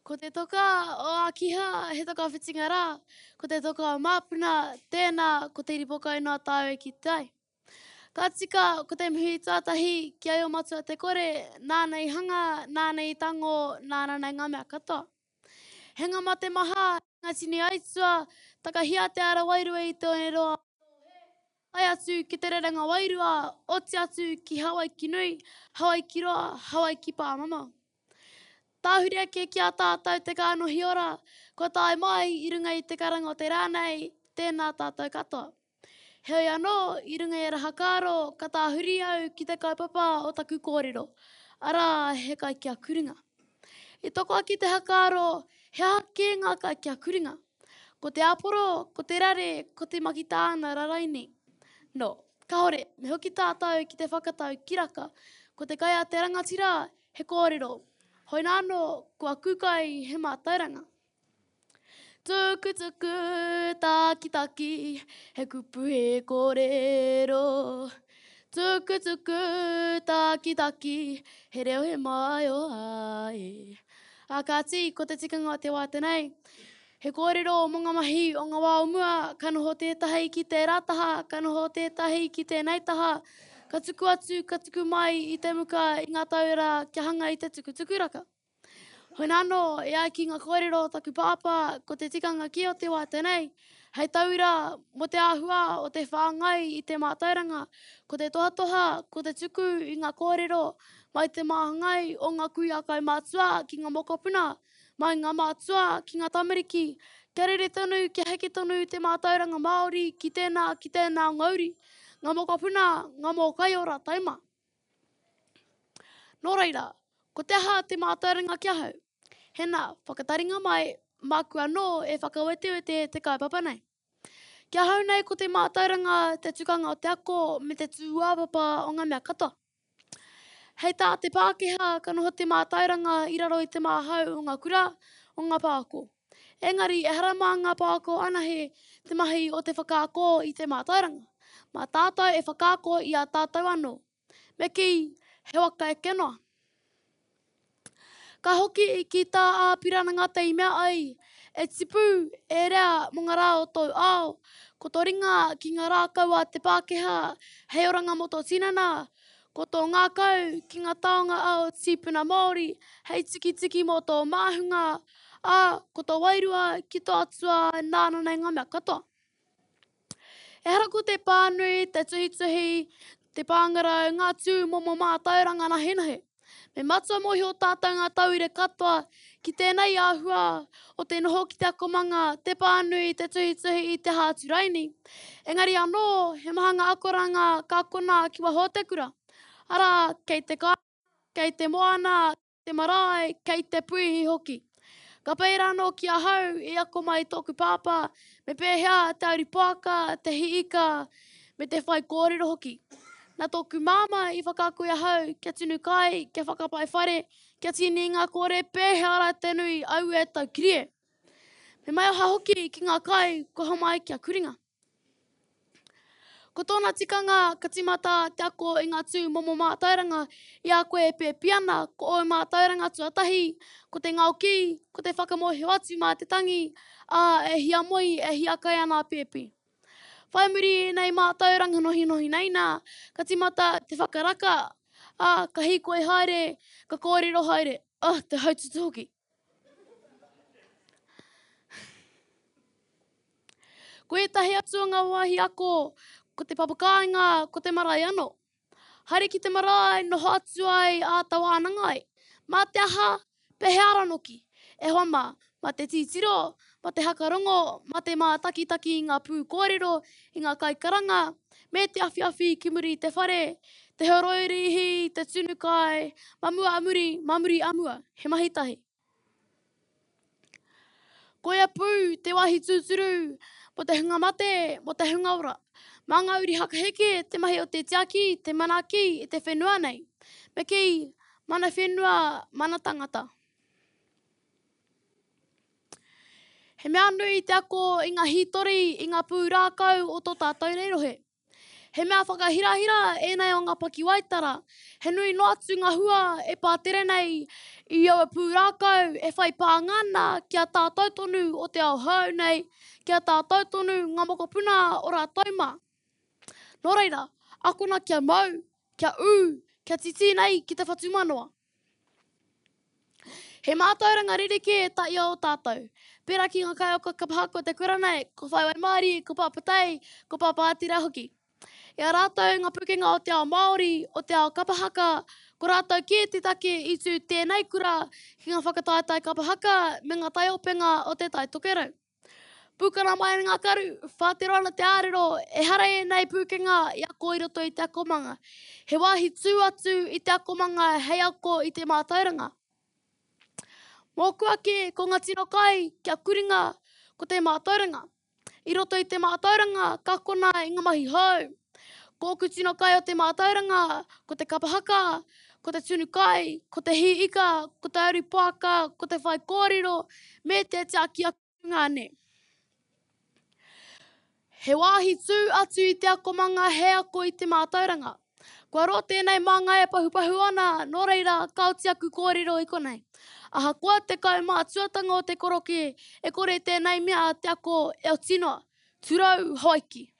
Ko te toka o Akiha he toka whitinga rā, ko te toka o Māpuna, tēnā, ko te ripokai noa tāu e kite ai. Ka tika, ko te mihi tuatahi ki a Io-matua te kore, nāna i hanga, nāna i tango, nāna nei ngā mea katoa. He ngā mate maha, he ngā tini aitua, takahia te ara wairua i te oneroa o Tōhe, tae atu ki te rerenga wairua, oti atu ki Hawaiki nui, Hawaiki roa, Hawaiki pāmamao. Tāhuri ake ki a tātou te kānohi ora, kua tae mai i runga i te karanga o te rā nei, tēnā tātou katoa. Heoi anō, i runga i a Rahakaaro, ka tāhuri au ki te kaupapa o taku kōrero, arā, he kai kia kuringa. I toko ake te hakaaro, he aha kē ngā kai kia kuringa? Ko te āporo, ko te rare, ko te makitāna raraini. Nō, kāore, me hoki tātou ki te whakatau kiraka, ko te kai a te rangatira, He kōrero. Hoina anō, ko aku kai he mātauranga. Tukutuku, tākitaki, he kupu he kōrero. Tukutuku, tākitaki, he reo he maioha e. Ā kāti, ko te tikanga o te wā tenei, He kōrero mō ngā mahi o ngā wā o mua, ka noho tētahi ki tērā taha, ka noho tētahi ki tēnei taha, ka tuku atu, ka tuku mai i te muka i ngā taura kia hanga i te tukutukuraka. Hoi anō, e ai ki ngā kōrero o taku pāpā, ko te tikanga kē o te wā tēnei, hei tauira mō te āhua o te whāngai i te mātauranga, ko te tohatoha, ko te tuku i ngā kōrero mai te māngai o ngā kuia kaumātua ki ngā mokopuna, Mai ngā mātua ki ngā tamariki, kia rere tonu, kia heke tonu te mātauranga Māori ki tēnā, ki tēnā o ngā uri, ngā mokopuna, ngā mōkai ora taima. Nō reira, ko te aha te mātauranga ki ahau? Hena, whakataringa mai, māku anō e whakawetewete te kaupapa nei. Ki ahau nei ko te mātauranga te tukanga o te ako me te tūāpapa o ngā mea katoa. Hei tā te Pākehā ka noho te mātauranga i raro i te māhau o ngā kura, o ngā pāko. Engari ehara mā ngā pāko anahe te mahi o te whakaako i te mātauranga. Mā tātou e whakaako i a tātou anō. Me kī, he waka eke noa. Ka hoki ki tā Āpirana Ngata i mea ai, E tipu, e rea mō ngā rā o tōu ao, ko tō ringa ki ngā rākau a te Pākehā hei oranga mō tō tinana, ko tō ngākau ki ngā taonga a ō tīpuna Māori hei tikitiki mō tō māhunga, ā, ko tō wairua ki tō Atua nāna nei ngā mea katoa. Ehara ko te pānui, te tuhituhi, te pāngarau, ngā tū momo mātauranga nahenahe. Me matua mōhio tātou ngā tauira katoa ki tēnei āhua o te noho ki te akomanga, te pānui, te tuhituhi, te aha atu raini. Engari anō, he maha ngā akoranga ka akona ki waho o te kura. Arā, kei te kāinga, kei te moana, te marae, kei te puihi hoki. Ka pērā anō ki ahau i ako mai tōku pāpā me pēhea te auri poaka, te hī ika, me te whai kōrero hoki. Nā tōku māmā i whakaako i ahau kia tunu kai, kia whakapai whare, kia tīni i ngā kōre pēhea rā te nui, aue taukiri e. Me maioha hoki ki ngā kai kua homai kia kuringa. Ko tōna tikanga ka tīmata te ako i ngā tū momo mātauranga i a koe e pēpi ana, ko ōu mātauranga tuatahi, ko te ngaokī, ko te whakamōhio atu mā te tangi, ā, e hiamoe, e hiakai ana a pēpi. Whai muri i ēnei mātauranga nohinohi nei nā, ka tīmata te whakaraka, ā, ka hīkoi haere, ka kōrero haere, ā, te haututu hoki. Ko ētahi atu o ngā wāhi ako, ko te papakāinga, ko te marae anō. Haere ki te marae, noho atu ai, āta wānanga ai. Mā te aha, pēhea ranoki? E hoa mā, mā te titiro, mā te hakarongo, mā te mātakitaki i ngā pūkōrero, i ngā kaikaranga, me te awhiawhi ki muri i te whare, te horoi rīhi, te tunu kai, mā mua a muri, mā muri a mua, he mahi tahi. Koia pū te wāhi tūturu mō te hunga mate, mō te hunga ora. Mā ngā uri hakaheke te mahi o te tiaki, te manaaki i te whenua nei. Me kī, mana whenua, mana tangata. He mea nui te ako i ngā hītori, i ngā pūrākau o tō tātou nei rohe. He mea whakahirahira ēnei o ngā pakiwaitara, he nui noa atu ngā hua e pātere nei i aua pūrākau e whai pānga ana ki a tātou tonu o te ao hou nei, ki a tātou tonu ngā mokopuna o rātou mā. Nō reira, akona kia mau, kia ū, kia titī nei ki te whatumanawa. He mātauranga rerekē ta ia o tātou. Pērā ki ngā kaiako kapa haka o te kura nei, ko Whai Waimarie, ko Pāpā Tei, ko Pāpā Atira hoki. I a rātou ngā pukenga o te ao Māori, o te ao kapa haka, ko rātou kē te take i tū tēnei kura ki ngā whakataetae kapa haka me ngā taiopenga o te Tai Tokerau. Pūkana mai ana ngā karu, whātero ana te ārero, ehara ēnei pūkenga i ako i roto i te akomanga. He wāhi tū atu i te akomanga hei ako i te mātauranga. Mōku ake, ko ngā tino kai kia kuringa ko te mātauranga. I roto i te mātauranga, ka akona i ngā mahi hou. Ko ōku tino kai o te mātauranga, ko te kapa haka, ko te tunu kai, ko te hī ika, ko te aru poaka, ko te whaikōrero, me te tiaki aku tungāne. He wāhi tū atu i te akomanga he ako i te mātauranga. Kua roa tēnei māngai e pahupahu ana, nō reira, ka oti aku kōrero i konei. Ahakoa te kaumātuatanga o te korokē, e kore tēnei mea te ako e oti noa. Turau Hawaiki.